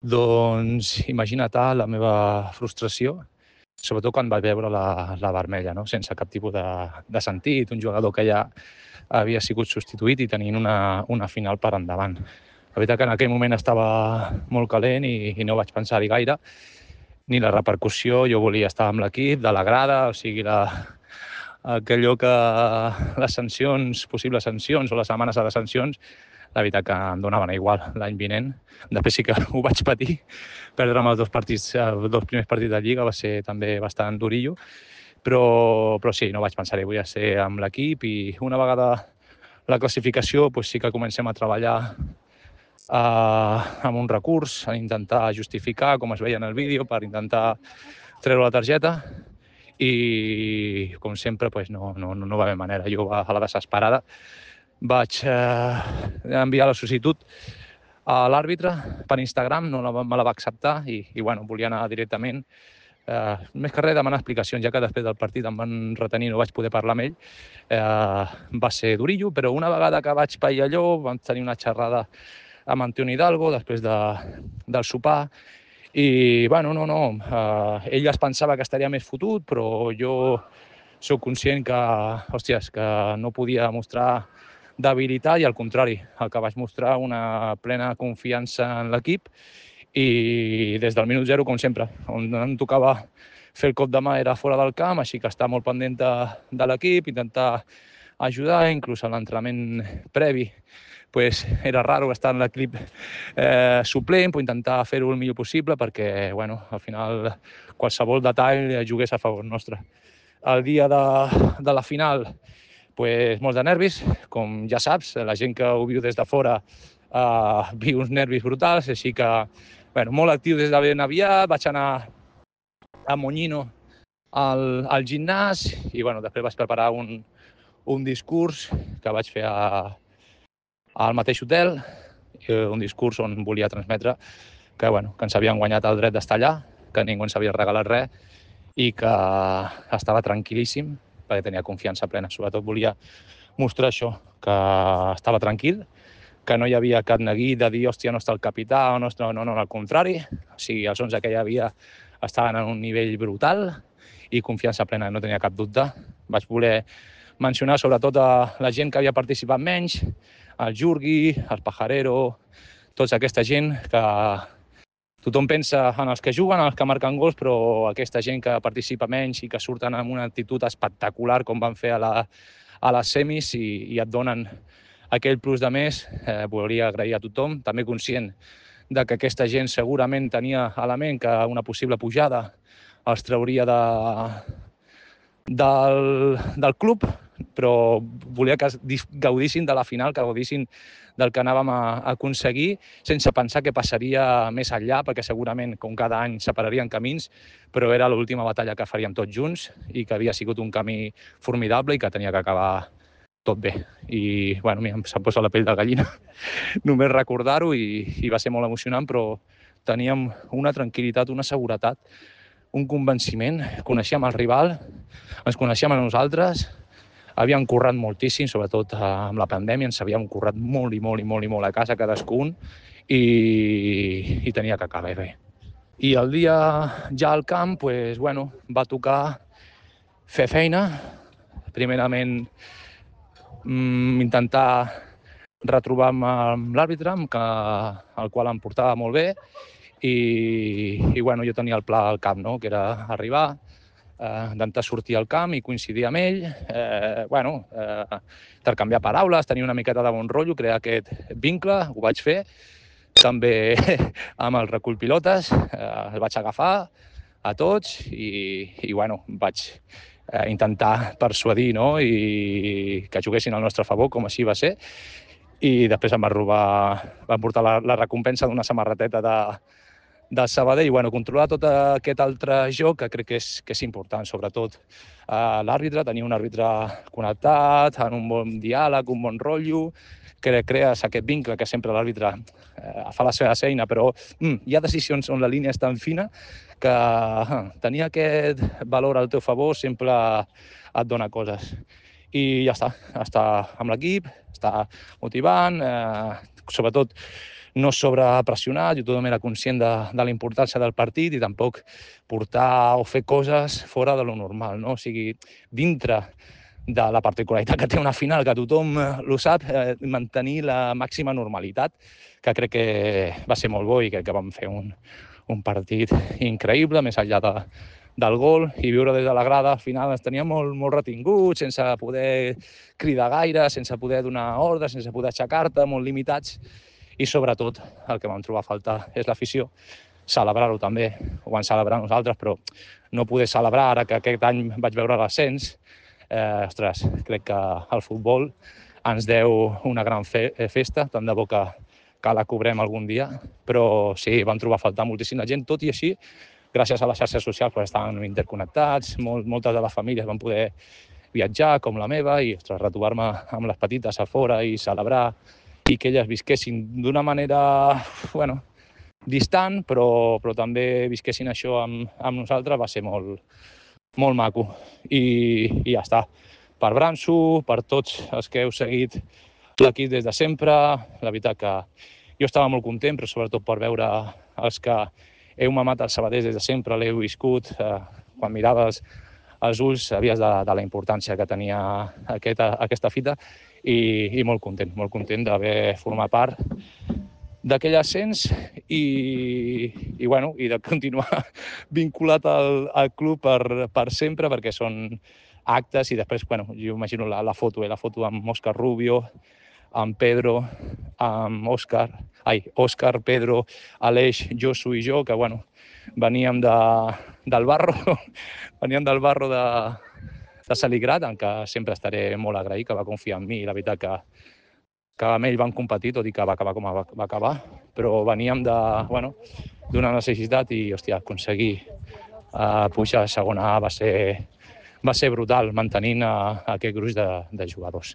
Doncs imagina't la meva frustració, sobretot quan vaig veure la vermella, no? Sense cap tipus de sentit, un jugador que ja havia sigut substituït i tenint una final per endavant. La veritat que en aquell moment estava molt calent i no vaig pensar-hi gaire, ni la repercussió. Jo volia estar amb l'equip, de la grada, o sigui, allò que les sancions, possibles sancions o les amenaces de sancions, la veritat que em donaven igual l'any vinent. Després sí que ho vaig patir, perdre'm els dos primers partits de Lliga va ser també bastant durillo, però sí, no vaig pensar-hi, vull ser amb l'equip i una vegada la classificació sí que comencem a treballar amb un recurs, a intentar justificar, com es veia en el vídeo, per intentar treure la targeta i, com sempre, no va haver manera. Jo, a la desesperada, vaig enviar la sol·licitud a l'àrbitre per Instagram, me la va acceptar i volia anar directament. Més que res demanar explicacions, ja que després del partit em van retenir, no vaig poder parlar amb ell. Va ser durillo, però una vegada que vaig pair allò, vam tenir una xerrada amb Antonio Hidalgo després del sopar i, ell es pensava que estaria més fotut, però jo soc conscient que no podia mostrar debilitat i, al contrari, el que vaig mostrar una plena confiança en l'equip i des del minut zero, com sempre, on em tocava fer el cop de mà era fora del camp, així que estar molt pendent de l'equip, intentar ajudar, inclús a l'entrenament previ era raro estar en l'equip suplent, però intentar fer-ho el millor possible perquè, al final, qualsevol detall jugués a favor nostre. El dia de la final, molts de nervis, com ja saps, la gent que ho viu des de fora viu uns nervis brutals, així que, molt actiu des de ben aviat, vaig anar a Moñino al gimnàs i, després vaig preparar un discurs que vaig fer al mateix hotel, un discurs on volia transmetre que ens havien guanyat el dret d'estar allà, que ningú ens havia regalat res i que estava tranquil·líssim perquè tenia confiança plena. Sobretot volia mostrar això, que estava tranquil, que no hi havia cap neguit de dir hòstia, no està el capità, no, al contrari. O sigui, els 11 que hi havia estaven en un nivell brutal i confiança plena, no tenia cap dubte. Vaig voler mencionar sobretot a la gent que havia participat menys, el Jurgui, el Pajarero, tota aquesta gent que tothom pensa en els que juguen, en els que marquen gols, però aquesta gent que participa menys i que surten amb una actitud espectacular com van fer a les semis i et donen aquell plus de més, volia agrair a tothom, també conscient de que aquesta gent segurament tenia element que una possible pujada els trauria del club, però volia que gaudissin de la final, que gaudissin del que anàvem a aconseguir, sense pensar que passaria més enllà, perquè segurament, com cada any, separarien camins, però era l'última batalla que faríem tots junts i que havia sigut un camí formidable i que tenia que acabar tot bé. I, se'm posa la pell de gallina només recordar-ho i va ser molt emocionant, però teníem una tranquil·litat, una seguretat, un convenciment. Coneixíem el rival, ens coneixíem a nosaltres, havíem currat moltíssim, sobretot amb la pandèmia, ens havíem currat molt i molt a casa cadascun i tenia que acabar bé. I el dia ja al camp, va tocar fer feina, primerament intentar retrobar-me amb l'àrbitre, el qual em portava molt bé, i jo tenia el pla al cap, no? Que era arribar, intentar sortir al camp i coincidir amb ell, intercanviar paraules, tenir una miqueta de bon rotllo, crear aquest vincle, ho vaig fer. També amb el recull pilotes, els vaig agafar a tots i vaig intentar persuadir, no? I que juguessin al nostre favor, com així va ser. I després em van portar la recompensa d'una samarreteta de Sabadell. Controlar tot aquest altre joc, que crec que és important, sobretot l'àrbitre, tenir un àrbitre connectat, en un bon diàleg, un bon rotllo, que crees aquest vincle que sempre l'àrbitre fa la seva feina, però hi ha decisions on la línia és tan fina que tenir aquest valor al teu favor sempre et dona coses. I ja està, estar amb l'equip, estar motivant, sobretot no sobrepressionar, jo tothom era conscient de la importància del partit i tampoc portar o fer coses fora de lo normal, no? O sigui, dintre de la particularitat que té una final, que tothom ho sap, mantenir la màxima normalitat, que crec que va ser molt bo i crec que vam fer un partit increïble, més enllà del gol, i viure des de la grada, al final ens tenia molt retinguts, sense poder cridar gaire, sense poder donar ordres, sense poder aixecar-te, molt limitats, i sobretot el que vam trobar a faltar és l'afició, celebrar-ho també, ho vam celebrar nosaltres, però no poder celebrar ara que aquest any vaig veure l'ascens, ostres, crec que el futbol ens deu una gran festa, tant de bo que la cobrem algun dia, però sí, vam trobar a faltar moltíssima gent, tot i així, gràcies a les xarxes socials pues, estàvem interconnectats, moltes de les famílies van poder viatjar, com la meva, i retrobar-me amb les petites a fora i celebrar, i que elles visquessin d'una manera, bueno, distant, però també visquessin això amb nosaltres, va ser molt maco. I ja està. Per Branso, per tots els que heu seguit l'equip des de sempre, la veritat que jo estava molt content, però sobretot per veure els que heu mamat els sabaders des de sempre, l'heu viscut, quan miraves els ulls sabies de la importància que tenia aquesta fita i molt content d'haver format part d'aquell ascens i de continuar vinculat al club per sempre, perquè són actes i després, jo imagino la foto amb Òscar Rubio, amb Pedro, amb Òscar, Pedro, Aleix, Josu i jo, que veníem del barro, de Saligrat, en què sempre estaré molt agraït, que va confiar en mi i la veritat que amb ell van competir, tot i que va acabar com va acabar, però veníem d'una necessitat i, aconseguir pujar a segona A va ser brutal, mantenint aquest gruix de jugadors.